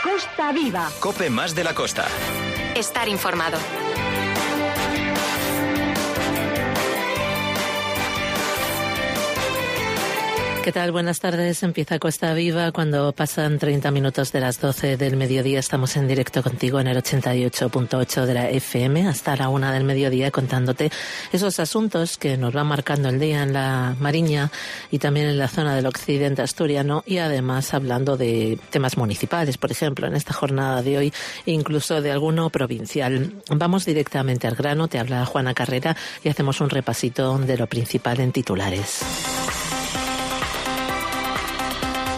Costa Viva. COPE más de la costa. Estar informado. ¿Qué tal? Buenas tardes. Empieza Costa Viva cuando pasan 30 minutos de las 12 del mediodía. Estamos en directo contigo en el 88.8 de la FM hasta la 1 del mediodía contándote esos asuntos que nos van marcando el día en la Mariña y también en la zona del occidente asturiano, y además hablando de temas municipales, por ejemplo, en esta jornada de hoy, incluso de alguno provincial. Vamos directamente al grano. Te habla Juana Carrera y hacemos un repasito de lo principal en titulares.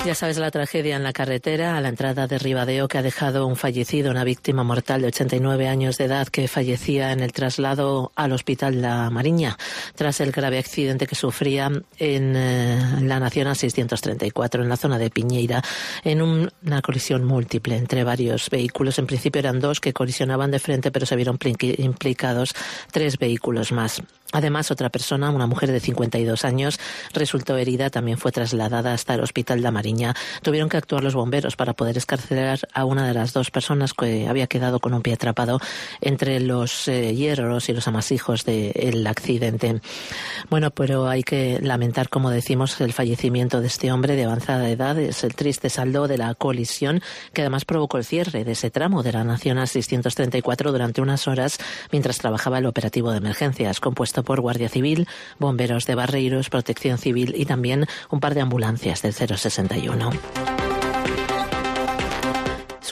Ya sabes, la tragedia en la carretera a la entrada de Ribadeo, que ha dejado un fallecido, una víctima mortal de 89 años de edad que fallecía en el traslado al Hospital La Mariña tras el grave accidente que sufría en la Nacional 634 en la zona de Piñeira, en una colisión múltiple entre varios vehículos. En principio eran dos que colisionaban de frente, pero se vieron implicados 3 vehículos más. Además, otra persona, una mujer de 52 años, resultó herida, también fue trasladada hasta el Hospital La Mariña. Tuvieron que actuar los bomberos para poder excarcelar a una de las 2 personas que había quedado con un pie atrapado entre los hierros y los amasijos del accidente. Bueno, pero hay que lamentar, como decimos, el fallecimiento de este hombre de avanzada edad. Es el triste saldo de la colisión que además provocó el cierre de ese tramo de la Nacional 634 durante unas horas mientras trabajaba el operativo de emergencias, compuesto por Guardia Civil, bomberos de Barreiros, Protección Civil y también un par de ambulancias del 061.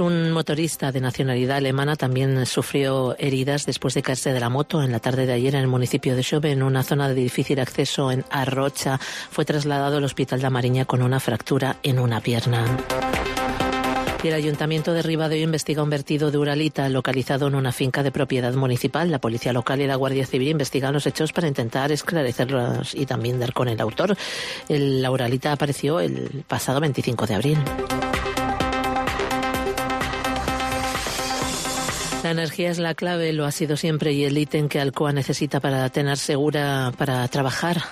Un motorista de nacionalidad alemana también sufrió heridas después de caerse de la moto en la tarde de ayer en el municipio de Xove, en una zona de difícil acceso en Arrocha. Fue trasladado al Hospital La Mariña con una fractura en una pierna. Y el Ayuntamiento de Ribadeo investiga un vertido de uralita localizado en una finca de propiedad municipal. La Policía Local y la Guardia Civil investigan los hechos para intentar esclarecerlos y también dar con el autor. La uralita apareció el pasado 25 de abril. La energía es la clave, lo ha sido siempre, y el ítem que Alcoa necesita para tener segura, para trabajar,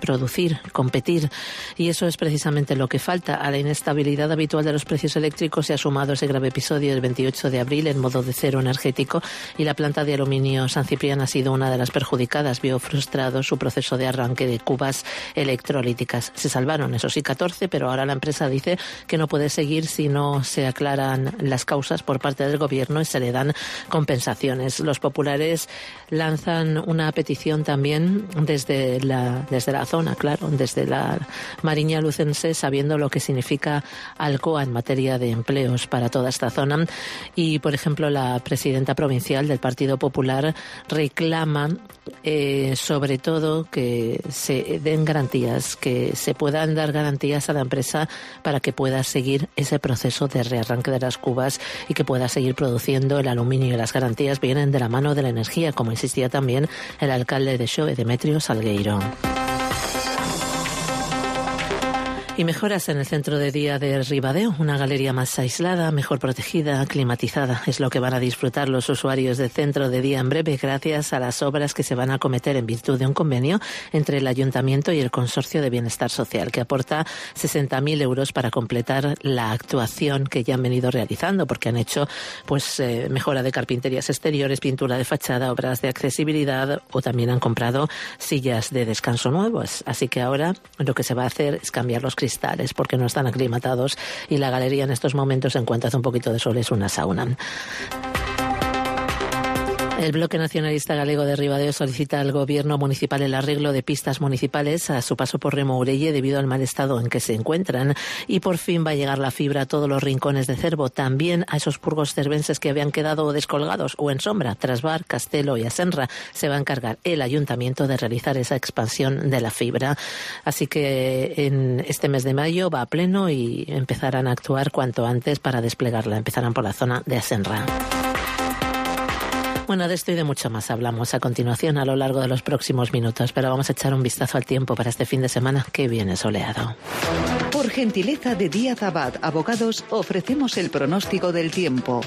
producir, competir. Y eso es precisamente lo que falta. A la inestabilidad habitual de los precios eléctricos se ha sumado ese grave episodio del 28 de abril en modo de cero energético, y la planta de aluminio San Ciprián ha sido una de las perjudicadas. Vio frustrado su proceso de arranque de cubas electrolíticas. Se salvaron, eso sí, 14, pero ahora la empresa dice que no puede seguir si no se aclaran las causas por parte del gobierno y se le dan compensaciones. Los populares lanzan una petición también desde la zona, claro, desde la Mariña lucense, sabiendo lo que significa Alcoa en materia de empleos para toda esta zona. Y, por ejemplo, la presidenta provincial del Partido Popular reclama sobre todo que se den garantías, que se puedan dar garantías a la empresa para que pueda seguir ese proceso de rearranque de las cubas y que pueda seguir produciendo el aluminio. Y las garantías vienen de la mano de la energía, como insistía también el alcalde de Xove, Demetrio Salgueiro. Y mejoras en el centro de día de Ribadeo, una galería más aislada, mejor protegida, climatizada. Es lo que van a disfrutar los usuarios del centro de día en breve, gracias a las obras que se van a acometer en virtud de un convenio entre el Ayuntamiento y el Consorcio de Bienestar Social, que aporta 60.000 euros para completar la actuación que ya han venido realizando, porque han hecho mejora de carpinterías exteriores, pintura de fachada, obras de accesibilidad, o también han comprado sillas de descanso nuevas. Así que ahora lo que se va a hacer es cambiar los cristales porque no están aclimatados, y la galería en estos momentos, en cuanto hace un poquito de sol, es una sauna. El Bloque Nacionalista Galego de Ribadeo solicita al Gobierno municipal el arreglo de pistas municipales a su paso por Remourelle debido al mal estado en que se encuentran, y por fin va a llegar la fibra a todos los rincones de Cervo, también a esos purgos cervenses que habían quedado descolgados o en sombra. Tras Bar, Castelo y Asenra, se va a encargar el Ayuntamiento de realizar esa expansión de la fibra. Así que en este mes de mayo va a pleno y empezarán a actuar cuanto antes para desplegarla. Empezarán por la zona de Asenra. Bueno, de esto y de mucho más hablamos a continuación a lo largo de los próximos minutos, pero vamos a echar un vistazo al tiempo para este fin de semana que viene soleado. Por gentileza de Díaz Abad Abogados, ofrecemos el pronóstico del tiempo.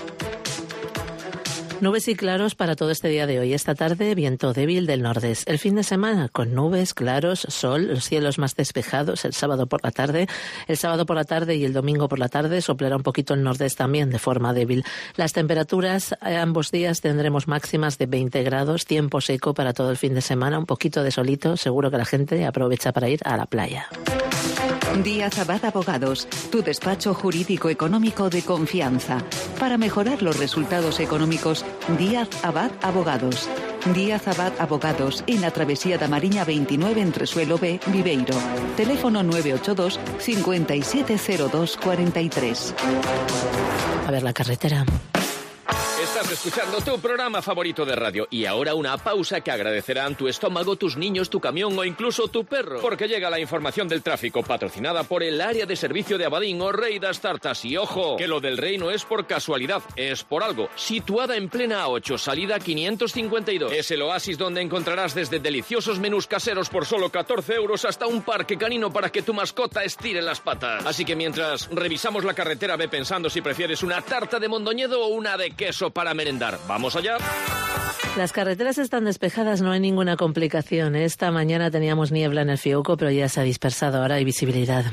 Nubes y claros para todo este día de hoy. Esta tarde, viento débil del nordeste. El fin de semana, con nubes, claros, sol, los cielos más despejados el sábado por la tarde. El sábado por la tarde y el domingo por la tarde soplará un poquito el nordeste también, de forma débil. Las temperaturas, ambos días tendremos máximas de 20 grados, tiempo seco para todo el fin de semana, un poquito de solito. Seguro que la gente aprovecha para ir a la playa. Díaz Abad Abogados, tu despacho jurídico económico de confianza. Para mejorar los resultados económicos, Díaz Abad Abogados. Díaz Abad Abogados, en la Travesía da Mariña 29 entre Suelo B, Viveiro. Teléfono 982 570243. A ver la carretera. Estás escuchando tu programa favorito de radio y ahora una pausa que agradecerán tu estómago, tus niños, tu camión o incluso tu perro. Porque llega la información del tráfico patrocinada por el área de servicio de Abadín o Rey das Tartas. Y ojo, que lo del Rey no es por casualidad, es por algo. Situada en plena A8, salida 552. Es el oasis donde encontrarás desde deliciosos menús caseros por solo 14 euros hasta un parque canino para que tu mascota estire las patas. Así que mientras revisamos la carretera, ve pensando si prefieres una tarta de Mondoñedo o una de queso para merendar. ¿Vamos allá? Las carreteras están despejadas, no hay ninguna complicación. Esta mañana teníamos niebla en el Fiuco, pero ya se ha dispersado, ahora hay visibilidad.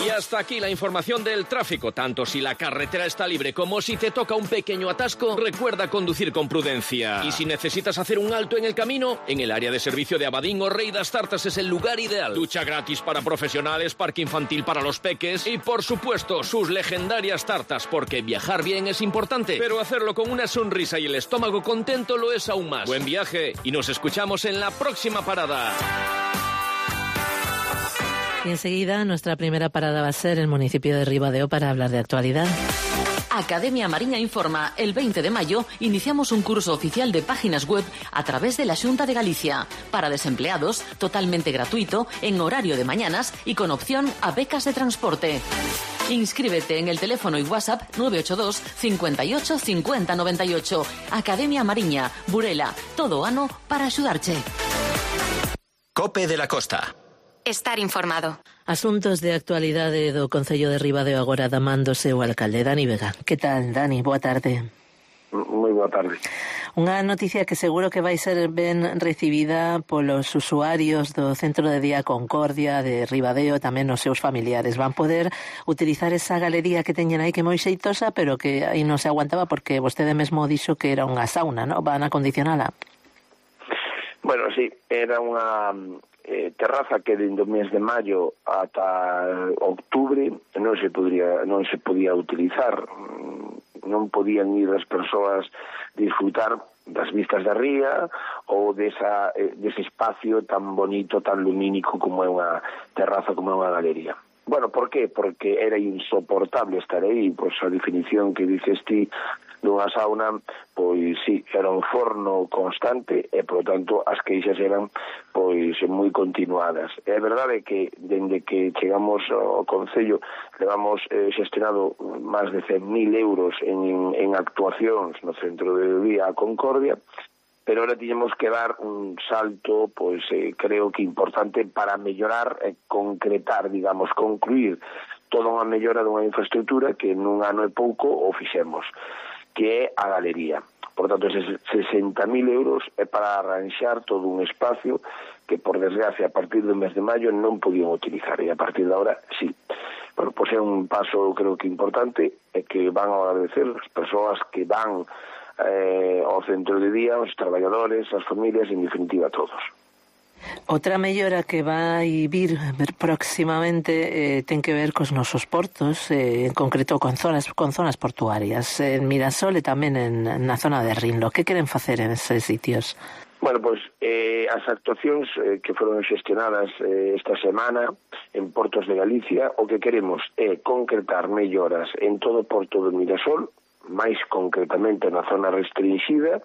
Y hasta aquí la información del tráfico. Tanto si la carretera está libre como si te toca un pequeño atasco, recuerda conducir con prudencia. Y si necesitas hacer un alto en el camino, en el área de servicio de Abadín o Rey das Tartas es el lugar ideal. Ducha gratis para profesionales, parque infantil para los peques y, por supuesto, sus legendarias tartas, porque viajar bien es importante, pero hacerlo con una sonrisa y el estómago contento lo es aún más. Buen viaje y nos escuchamos en la próxima parada. Y enseguida nuestra primera parada va a ser el municipio de Ribadeo para hablar de actualidad. Academia Mariña informa, el 20 de mayo iniciamos un curso oficial de páginas web a través de la Xunta de Galicia, para desempleados, totalmente gratuito, en horario de mañanas y con opción a becas de transporte. Inscríbete en el teléfono y WhatsApp 982 58 50 98. Academia Mariña, Burela, todo ano para axudarche. COPE de la Costa. Estar informado. Asuntos de actualidade do Concello de Ribadeo agora damándose o alcalde Dani Vega. Que tal, Dani? Boa tarde. Moi boa tarde. Unha noticia que seguro que vai ser ben recibida polos usuarios do Centro de Día Concordia de Ribadeo e tamén os seus familiares. Van poder utilizar esa galería que teñen aí que é moi xeitosa, pero que aí non se aguantaba porque vostede mesmo dixo que era unha sauna, ¿no? Van a acondicionala. Bueno, sí, era unha terraza que dende o mes de maio ata octubre non se podía utilizar, non podían ir as persoas disfrutar das vistas da ría ou dese espacio tan bonito, tan lumínico como é unha terraza, como é unha galería. Bueno, por qué? Porque era insoportable estar aí, pois a definición que dices ti dunha sauna, pois sí, era un forno constante e, por lo tanto, as queixas eran pois moi continuadas. É verdade que, dende que chegamos ao Concello, levamos xestionado máis de 100.000 euros en actuacións no Centro de Día Concordia, pero ahora tiñemos que dar un salto, pois creo que importante para mellorar e concretar, digamos, concluir toda unha mellora dunha infraestructura que nun ano e pouco o fixemos, que é a galería. Por tanto, eses 60.000 euros é para arranxar todo un espacio que, por desgracia, a partir do mes de maio non podían utilizar, e a partir de ahora, sí. Bueno, pois é un paso, creo que importante, e que van a agradecer as persoas que van ao centro de día, os traballadores, as familias, en definitiva, todos. Outra mellora que vai vir próximamente ten que ver cos nosos portos, en concreto con zonas portuarias, en Mirasol e tamén na zona de Rinlo. Que queren facer en eses sitios? Bueno, pois as actuacións que foron xestionadas esta semana en Portos de Galicia, o que queremos é concretar melloras en todo o porto de Mirasol, máis concretamente na zona restringida,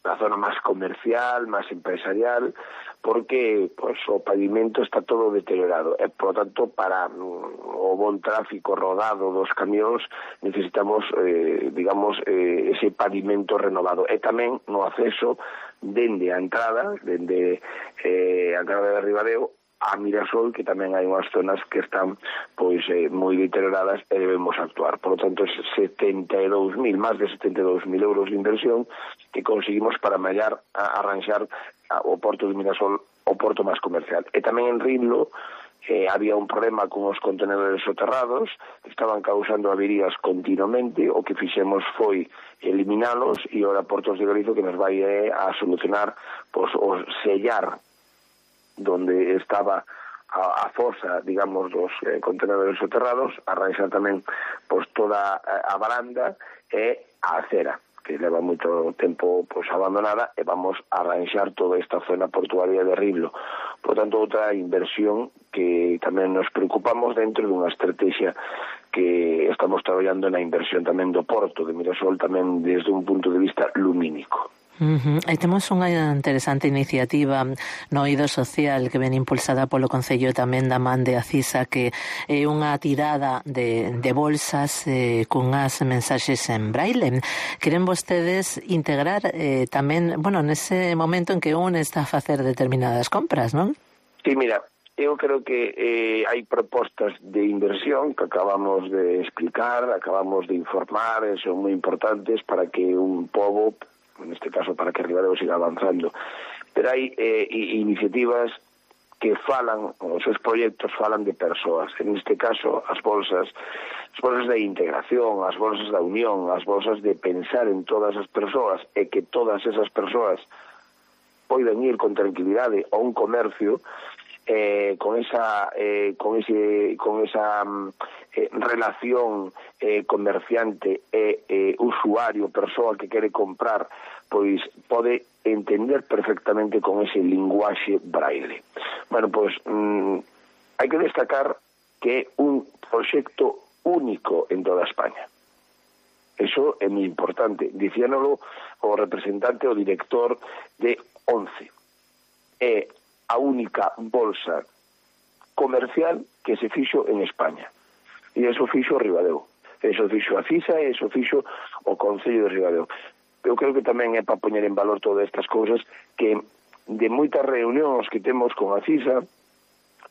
na zona máis comercial, máis empresarial, porque pois, o pavimento está todo deteriorado e, por tanto, para o bon tráfico rodado dos camións necesitamos, ese pavimento renovado. E tamén no acceso dende a entrada, dende a entrada de Ribadeo a Mirasol, que tamén hai unhas zonas que están pois moi deterioradas e debemos actuar. Por lo tanto, 72.000, máis de 72.000 euros de inversión que conseguimos para arranxar o porto de Mirasol, o porto máis comercial. E tamén en Rinlo había un problema con os contenedores soterrados, estaban causando averías continuamente, o que fixemos foi eliminalos, e ora Portos de Galicia que nos vai a solucionar pois, o sellar donde estaba a fosa, digamos, dos contenedores soterrados, arranxar tamén pois, toda a baranda e a acera, que leva moito tempo pois, abandonada, e vamos a arranxar toda esta zona portuaria de Rinlo. Por tanto, outra inversión que tamén nos preocupamos dentro dunha estrategia que estamos traballando na inversión tamén do porto de Mirasol, tamén desde un punto de vista lumínico. E temos unha interesante iniciativa no eido social que ven impulsada polo Concello tamén da man de Acisa, que é unha tirada de bolsas cunhas mensaxes en braille. Queren vostedes integrar tamén, nese momento en que un está a facer determinadas compras, non? Sí, mira, eu creo que hai propostas de inversión que acabamos de explicar, acabamos de informar, e son moi importantes para que un pobo, neste caso para que Ribadeo siga avanzando, pero hai iniciativas que falan, os seus proxectos falan de persoas, en este caso as bolsas de integración, as bolsas da unión, as bolsas de pensar en todas as persoas e que todas esas persoas poden ir con tranquilidade a un comercio con esa relación comerciante e usuario, persoa que quere comprar, pois pode entender perfectamente con ese linguaxe braille. Bueno, pois hai que destacar que é un proxecto único en toda España. Eso é moi importante. Dicíanolo o representante, o director de 11. É a única bolsa comercial que se fixo en España. E eso fixo Ribadeo. Eso fixo a CISA e eso fixo o Concello de Ribadeo. Eu creo que tamén é para poñer en valor todas estas cousas que de moitas reunións que temos con a CISA,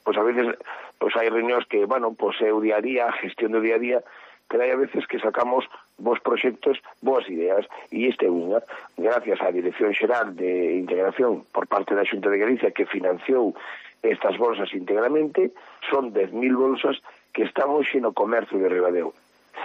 pois a veces pois hai reunións que, pois é o día a día, a gestión do día a día, pero hai a veces que sacamos bons proxectos, boas ideas, e esta é unha, gracias á Dirección Xeral de Integración por parte da Xunta de Galicia, que financiou estas bolsas íntegramente, son 10.000 bolsas que están hoxe no comercio de Ribadeo.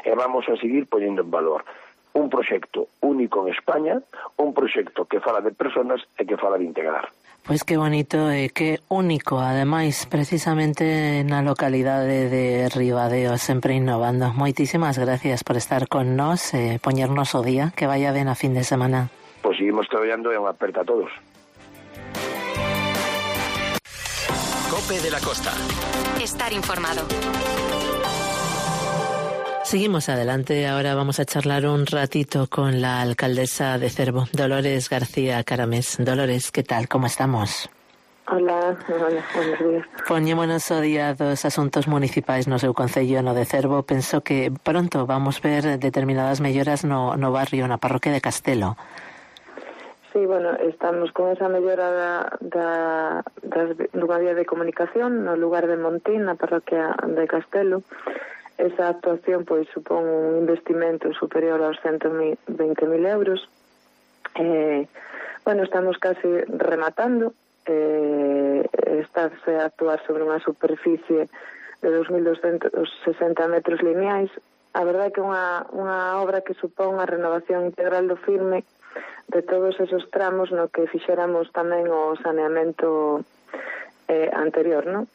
E vamos a seguir poñendo en valor un proxecto único en España, un proxecto que fala de personas e que fala de integrar. Pois que bonito e que único, ademais, precisamente na localidade de Ribadeo, sempre innovando. Moitísimas gracias por estar con nós e poñernos o día, que vaya ben a fin de semana. Pois seguimos traballando e unha aperta a todos. COPE de la Costa. Estar informado. Seguimos adelante, ahora vamos a charlar un ratito con la alcaldesa de Cervo, Dolores García Caramés. Dolores, ¿qué tal? ¿Cómo estamos? Hola, buenos días. Poñémonos o día dos asuntos municipais no seu concello, no de Cervo. Penso que pronto vamos ver determinadas melloras no barrio, na parroquia de Castelo. Sí, estamos con esa mellora dunha vía de comunicación no lugar de Montín, na parroquia de Castelo. Esa actuación supón un investimento superior aos 120.000 euros. Estamos casi rematando. Estáse a actuar sobre unha superficie de 2.260 metros lineais. A verdade é que é unha obra que supón a renovación integral do firme de todos esos tramos no que fixéramos tamén o saneamento anterior, non?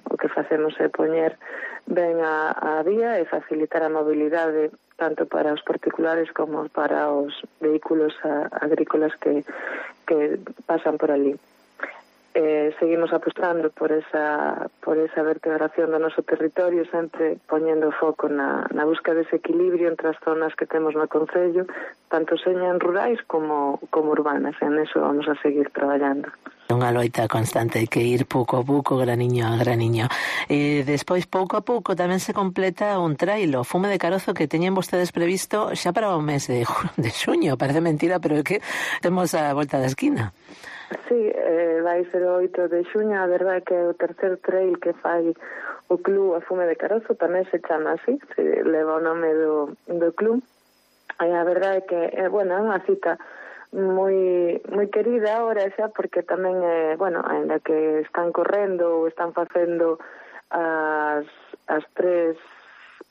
O que facemos é poñer ben a vía e facilitar a mobilidade tanto para os particulares como para os vehículos agrícolas que pasan por ali. Seguimos apostando por esa vertebración do noso territorio, sempre poñendo foco na busca dese equilibrio entre as zonas que temos no concello, tanto señan rurais como urbanas. En eso vamos a seguir traballando. Unha loita constante, hai que ir pouco a pouco, graniño a graniño. Despois, pouco a pouco, tamén se completa un trailo, Fume de Carozo, que teñen vostedes previsto xa para o mes de xuño. Parece mentira, pero é que temos a volta da esquina. Sí, vai ser o 8 de xuño, a verdade que é o terceiro trail que fai o Club A Fume de Carozo, tamén se chama así, se leva o nome do club. E a verdade é que, bueno, é unha cita moi querida ahora xa, porque tamén, bueno, ainda que están correndo ou están facendo as tres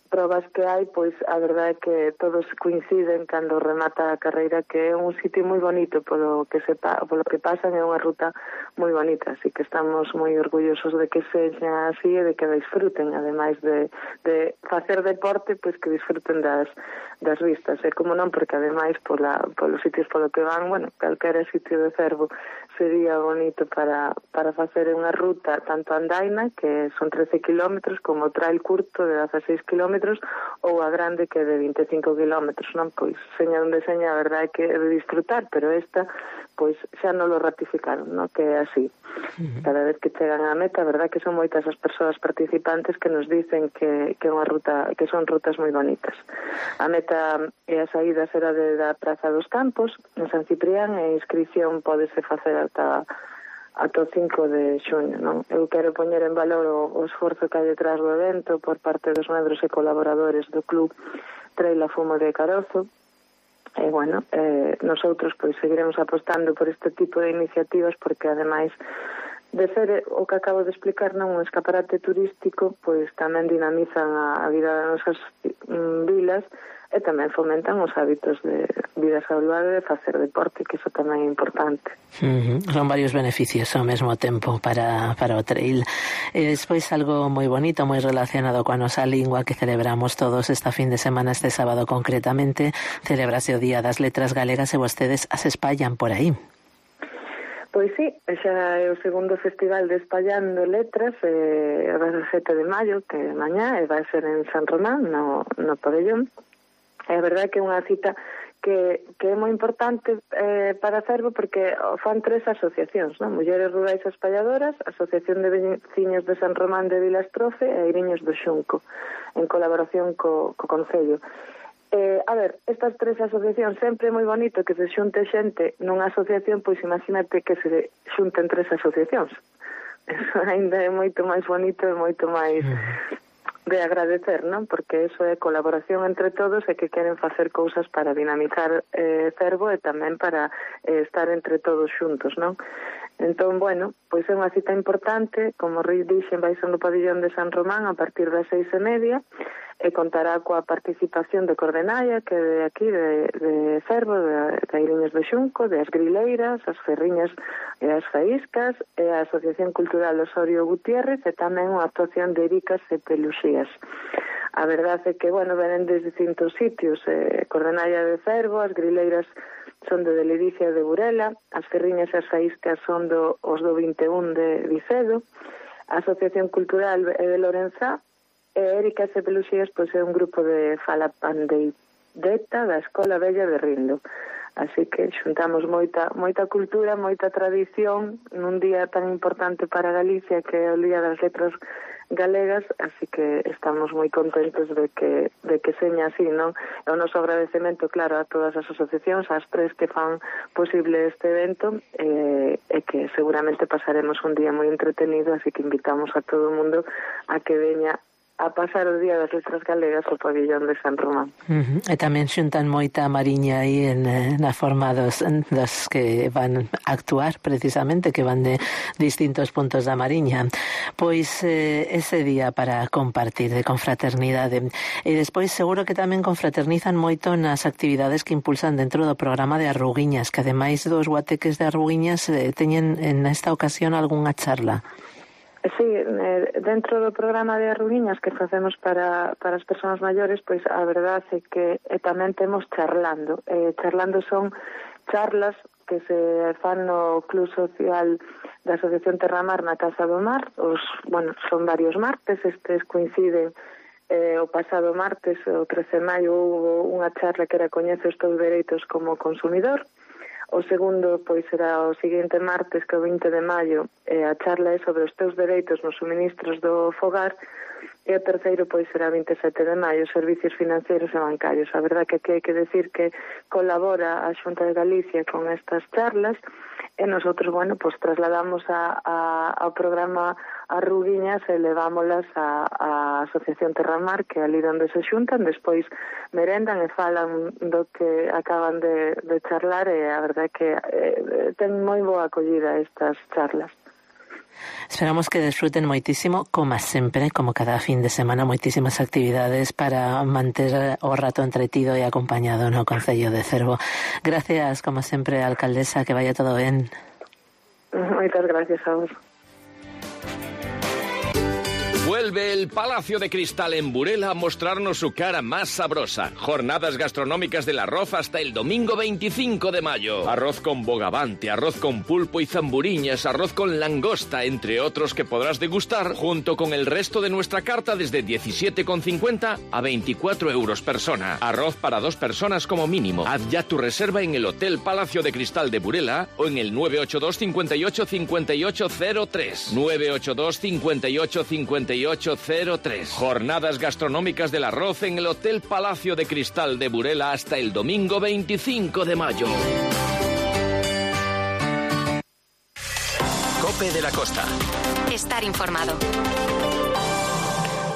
probas que hai, pois a verdade é que todos coinciden cando remata a carreira que é un sitio moi bonito polo que pasan, é unha ruta moi bonita, así que estamos moi orgullosos de que sexa así e de que disfruten, ademais de facer deporte, pois que disfruten das vistas, e como non, porque ademais polos sitios polo que van, bueno, calquera sitio de Cervo sería bonito para facer unha ruta tanto andaina, que son 13 kilómetros, como trail curto de 16 kilómetros, ou a grande que é de 25 kilómetros, non? Pois, seña onde seña, a verdade é que é de disfrutar, pero esta, pois, xa non lo ratificaron, non? Que é así. Cada vez que chegan á meta, a verdade que son moitas as persoas participantes que nos dicen que é unha ruta, que son rutas moi bonitas. A meta e a saída será da Praza dos Campos, en San Ciprián, e a inscripción pódese facer ata o 5 de xuño, non? Eu quero poñer en valor o esforzo que hai detrás do evento por parte dos membros e colaboradores do Club Trail A Fume de Carozo. E, bueno, nosotros pois seguiremos apostando por este tipo de iniciativas, porque ademais de ser o que acabo de explicar, non, un escaparate turístico, pois tamén dinamizan a vida das nosas vilas e tamén fomentan os hábitos de vida saludable e de facer deporte, que iso tamén é importante. Son varios beneficios ao mesmo tempo para o trail. E despois algo moi bonito, moi relacionado coa nosa lingua que celebramos todos esta fin de semana, este sábado concretamente, celebrase o Día das Letras Galegas e vostedes as espallan por aí. Pois sí, xa é o segundo festival de Espallando Letras, o 17 de maio, que é mañá, e vai ser en San Román, no Pabellón. É a verdade que é unha cita que é moi importante para Cervo, porque fan tres asociacións, non? Mulleres Rurais Espalladoras, Asociación de Veciños de San Román de Vilastrofe e Eiriños do Xunco, en colaboración co Concello. A ver, estas tres asociacións, sempre é moi bonito que se xunte xente nunha asociación, pois imagínate que se xunten tres asociacións. Eso ainda é moito máis bonito e moito máis de agradecer, non? Porque eso é colaboración entre todos e que queren facer cousas para dinamizar Cervo e tamén para estar entre todos xuntos, non? Entón, bueno, pois é unha cita importante, como dixen, vai ser no Pabellón de San Román a partir das 6:30, e contará coa participación de Cordenalla, que é de aquí, de Cervo, de Eiriños do Xunco, de As Grileiras, As Ferriñas e As Faíscas, e a Asociación Cultural Osorio Gutiérrez, e tamén unha actuación de Ericas e Peluxías. A verdade é que, bueno, venen desde distintos sitios, Cordenalla de Cervo, As Grileiras son de Ledicia de Burela, As Ferriñas e As Faíscas son os do 21 de Vicedo, a Asociación Cultural é de Lorenzá, e Ericas e Peluxías pois é un grupo de fala pandeireta da Escola Vella de Rindo. Así que xuntamos moita cultura, moita tradición nun día tan importante para Galicia, que é o Día das Letras Galegas, así que estamos moi contentos de que seña así, non? E o noso agradecemento, claro, a todas as asociacións, as tres que fan posible este evento, e que seguramente pasaremos un día moi entretenido, así que invitamos a todo o mundo a que veña a pasar o Día das Letras Galegas ao Pabellón de San Román. E tamén xuntan moita mariña aí na forma dos que van a actuar precisamente, que van de distintos puntos da mariña. Pois ese día para compartir, de confraternidade. E despois seguro que tamén confraternizan moito nas actividades que impulsan dentro do programa de Arruguiñas, que ademais dos guateques de Arruguiñas teñen en esta ocasión algunha charla. Sí, dentro do programa de Arruguiñas que facemos para as persoas maiores, pois a verdade é que tamén temos charlando. Charlando son charlas que se fan no Club Social da Asociación Terramar na Casa do Mar. Son varios martes, estes coinciden. O pasado martes, o 13 de maio, houve unha charla que era Coñece os teus dereitos como consumidor. O segundo, pois, será o seguinte martes, que é o 20 de maio, a charla é sobre os teus dereitos nos suministros do fogar, e o terceiro pois será 27 de maio, servicios financeiros e bancarios. A verdade que aquí hai que decir que colabora a Xunta de Galicia con estas charlas e nosotros, bueno, pues trasladamos ao programa as ruguiñas e levámolas á Asociación Terramar, que é ali onde se xuntan, despois merendan e falan do que acaban de charlar, e a verdade que ten moi boa acollida estas charlas. Esperamos que desfruten moitísimo, como sempre, como cada fin de semana, moitísimas actividades para manter o rato entretido e acompañado no Concello de Cervo. Gracias, como sempre, alcaldesa, que vaya todo ben. Moitas gracias a vos. Vuelve el Palacio de Cristal en Burela a mostrarnos su cara más sabrosa. Jornadas gastronómicas del arroz hasta el domingo 25 de mayo. Arroz con bogavante, arroz con pulpo y zamburiñas, arroz con langosta, entre otros que podrás degustar junto con el resto de nuestra carta desde 17,50 a 24 euros persona. Arroz para 2 personas como mínimo. Haz ya tu reserva en el Hotel Palacio de Cristal de Burela o en el 982 58 58 03. 982 58 58 0803. Jornadas gastronómicas del arroz en el Hotel Palacio de Cristal de Burela hasta el domingo 25 de mayo. Cope de la Costa. Estar informado.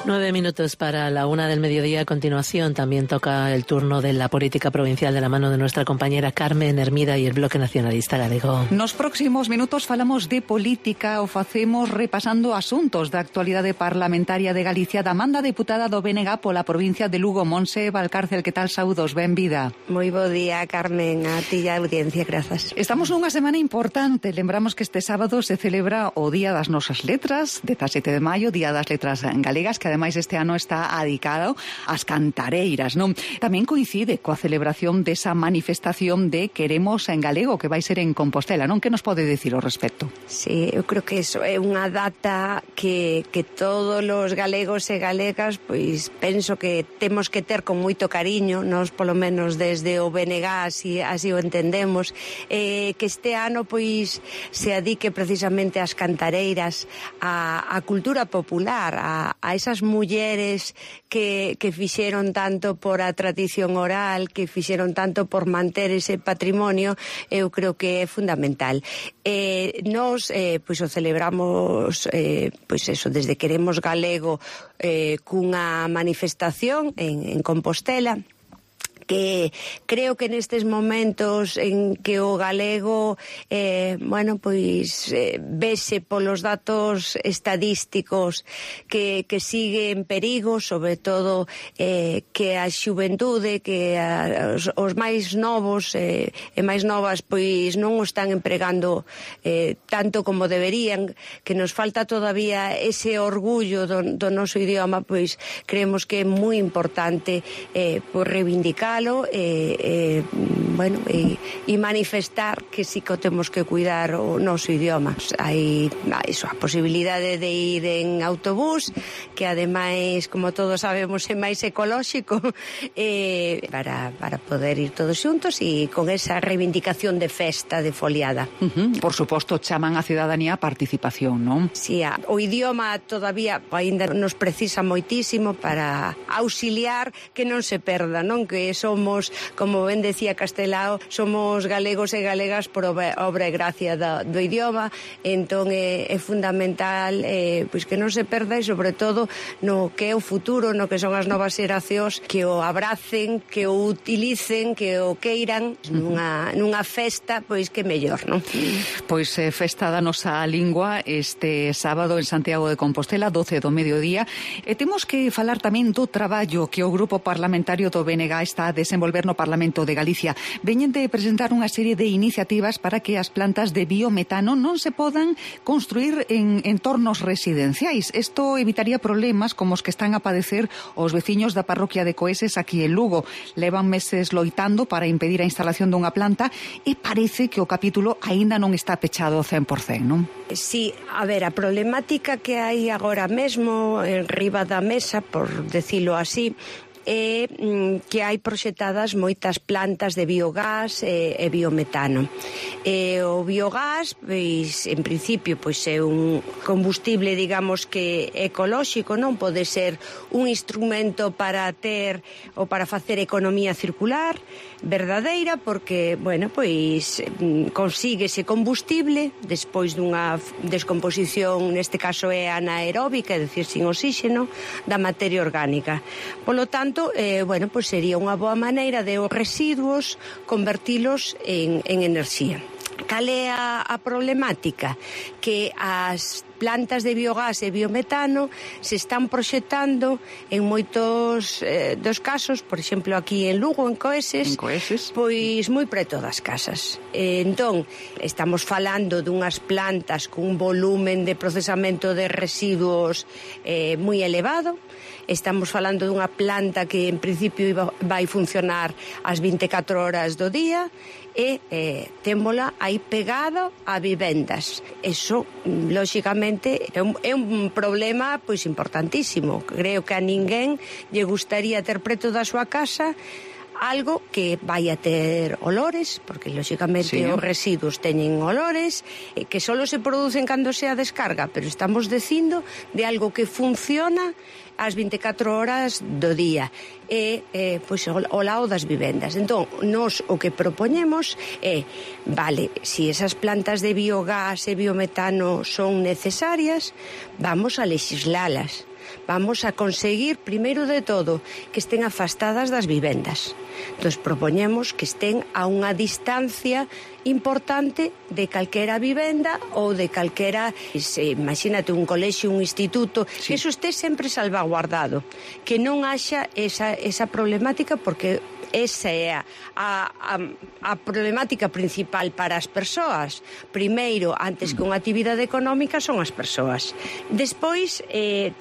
9 minutos para la 1 del mediodía. A continuación también toca el turno de la política provincial de la mano de nuestra compañera Carmen Hermida y el Bloque Nacionalista Galego. Nos próximos minutos falamos de política, o facemos repasando asuntos da actualidade parlamentaria de Galicia da manda deputada do BNG pola provincia de Lugo. Monse Valcárcel, que tal? Saúdos, benvida. Moi bo día, Carmen, a ti e a audiencia, grazas. Estamos nunha semana importante. Lembramos que este sábado se celebra o Día das Nosas Letras, 17 de maio, Día das Letras Galegas, que ademais este ano está adicado ás cantareiras, non? Tamén coincide coa celebración desa manifestación de Queremos en Galego, que vai ser en Compostela, non? Que nos pode dicir ao respecto? Sí, eu creo que iso é unha data que todos os galegos e galegas, pois penso que temos que ter con moito cariño, nós polo menos desde o BNG así o entendemos, que este ano pois se adique precisamente ás cantareiras, a cultura popular, a esas mulleres que fixeron tanto por a tradición oral, que fixeron tanto por manter ese patrimonio. Eu creo que é fundamental. Nos pois o celebramos pois eso, desde Queremos Galego, cunha manifestación en Compostela, que creo que nestes momentos en que o galego bueno, pois vese polos datos estadísticos que sigue en perigo, sobre todo que a xuventude, que os máis novos e máis novas pois non o están empregando tanto como deberían, que nos falta todavía ese orgullo do noso idioma. Pois creemos que é moi importante por reivindicar bueno, e manifestar que sí que temos que cuidar o noso idioma. Hai iso, a posibilidade de ir en autobús, que ademais, como todos sabemos, é máis ecolóxico, para poder ir todos xuntos e con esa reivindicación de festa, de foliada. Por suposto, chaman a cidadanía a participación, non? Sí, o idioma todavía ainda nos precisa moitísimo para auxiliar que non se perda, non? Que somos, como ben decía Castelao, somos galegos e galegas por obra e gracia do idioma. Entón é fundamental pois que non se perda, e sobre todo no que é o futuro, no que son as novas xeracións, que o abracen, que o utilicen, que o queiran nunha festa, pois que mellor, non? Pois festa da nosa lingua este sábado en Santiago de Compostela, 12 do mediodía, e temos que falar tamén do traballo que o Grupo Parlamentario do BNG está a desenvolver no Parlamento de Galicia. Veñen de presentar unha serie de iniciativas para que as plantas de biometano non se podan construir en entornos residenciais. Isto evitaría problemas como os que están a padecer os veciños da parroquia de Coeses aquí en Lugo. Levan meses loitando para impedir a instalación dunha planta e parece que o capítulo aínda non está pechado ao 100%, non? Sí, a ver, a problemática que hai agora mesmo en riba da mesa, por decilo así, é que hai proxectadas moitas plantas de biogás e biometano. O biogás, pois, en principio, pois é un combustible, digamos, que ecolóxico, non pode ser un instrumento para ter ou para facer economía circular verdadeira, porque, bueno, pois consíguese combustible despois dunha descomposición, neste caso é anaeróbica, é dicir, sin oxígeno, da materia orgánica. Polo tanto, bueno, pois sería unha boa maneira de os residuos convertilos en enerxía. Cal é a problemática? Que as plantas de biogás e biometano se están proxectando en moitos dos casos, por exemplo, aquí en Lugo, en Coeses, pois moi preto das casas. Entón, estamos falando dunhas plantas con un volumen de procesamento de residuos moi elevado. Estamos falando dunha planta que en principio vai funcionar as 24 horas do día e témola aí pegado a vivendas. Eso, lóxicamente, é un problema pois importantísimo. Creo que a ninguén lle gustaría ter preto da súa casa algo que vai a ter olores, porque lóxicamente os residuos teñen olores, que só se producen cando se a descarga, pero estamos dicindo de algo que funciona ás 24 horas do día e pois ao lado das vivendas. Entón, nós o que propoñemos é, vale, se esas plantas de biogás e biometano son necesarias, vamos a lexislalas. Vamos a conseguir, primeiro de todo, que estén afastadas das vivendas. Entón, propoñemos que estén a unha distancia importante de calquera vivenda ou de calquera, imagínate, un colexio, un instituto, que eso este sempre salvaguardado, que non haxa esa problemática, porque esa é a problemática principal para as persoas. Primeiro, antes que unha actividade económica, son as persoas. Despois,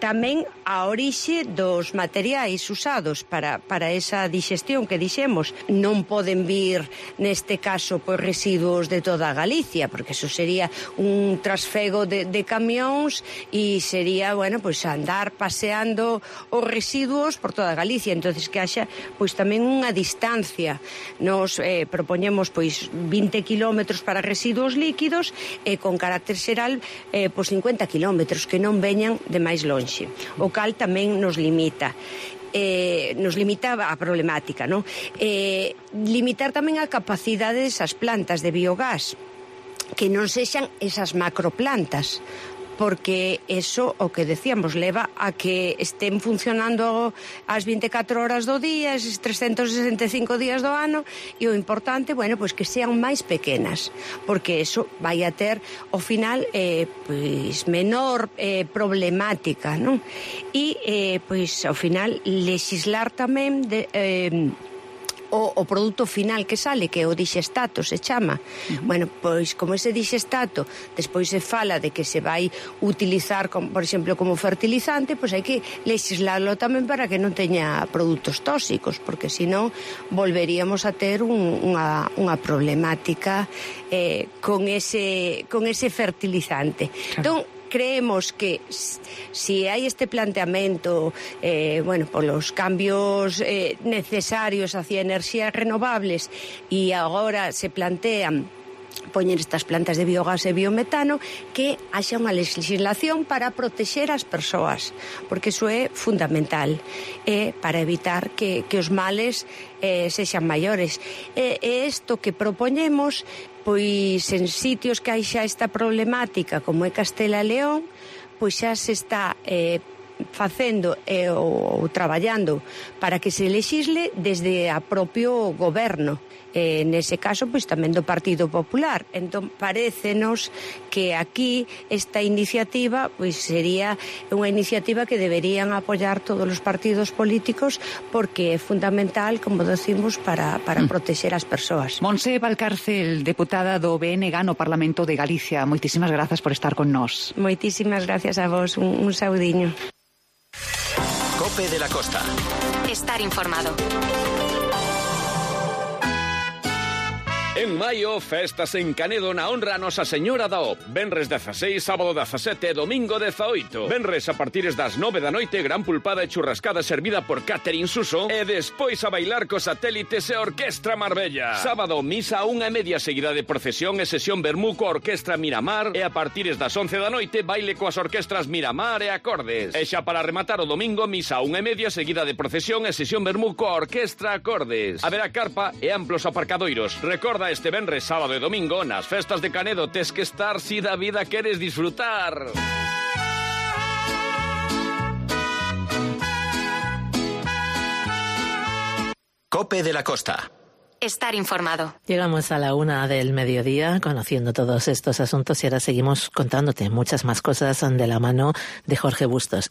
tamén a orixe dos materiais usados para esa digestión que dixemos. Non poden vir, neste caso, pois residuos de toda Galicia, porque eso sería un trasfego de camións e sería, bueno, pois andar paseando os residuos por toda Galicia. Entonces, que haxa, pois tamén unha distancia. Nos propoñemos pois 20 kilómetros para residuos líquidos e con carácter xeral pois 50 kilómetros que non veñan de máis lonxe, o cal tamén nos limita a problemática, non? Limitar tamén a capacidade desas plantas de biogás, que non sexan esas macroplantas, porque eso, o que decíamos, leva a que estén funcionando as 24 horas do día, eses 365 días do ano, e o importante, bueno, pois que sean máis pequenas, porque eso vai a ter, ao final, pois menor problemática, non? E, pois, ao final, lexislar tamén o produto final que sale, que é o dixestato, se chama. Bueno, pois como ese dixestato despois se fala de que se vai utilizar, por exemplo, como fertilizante, pois hai que legislarlo tamén para que non teña produtos tóxicos, porque senón volveríamos a ter unha problemática con ese fertilizante. Entón, creemos que si hai este planteamento, bueno, polos cambios necesarios hacia enerxías renovables, e agora se plantean poñer estas plantas de biogás e biometano, que haxa unha legislación para protexer as persoas, porque iso é fundamental, para evitar que os males sexan maiores. E isto que propoñemos, pois en sitios que hai xa esta problemática, como é Castela e León, pois xa se está facendo ou traballando para que se lexisle desde a propio goberno. Nese caso, pois tamén do Partido Popular. Entón, parécenos que aquí esta iniciativa pois sería unha iniciativa que deberían apoiar todos os partidos políticos, porque é fundamental, como decimos, para protexer as persoas. Montse Valcárcel, deputada do BNG no Parlamento de Galicia, moitísimas grazas por estar con nós. Moitísimas gracias a vos, un saudiño. Cope de la Costa. Estar informado. En maio, festas en Canedo na honra a Nosa Señora da O. Venres 16, sábado 17 e domingo 18. Venres a partires das 9 da noite, gran pulpada e churrascada servida por Catherine Suso e despois a bailar cos satélites e Orquestra Marbella. Sábado, misa a 1:30 seguida de procesión e sesión vermú coa Orquestra Miramar e a partires das 11 da noite, baile coas orquestras Miramar e Acordes. E xa para rematar o domingo, misa a 1:30 seguida de procesión e sesión vermú coa Orquestra Acordes. Haberá carpa e amplos aparcadoiros. Recorda este venres, sábado e domingo, nas festas de Canedo tes que estar si da vida queres disfrutar. Cope de la Costa. Estar informado. Llegamos a la 1 del mediodía conociendo todos estos asuntos y ahora seguimos contándote muchas más cosas de la mano de Jorge Bustos.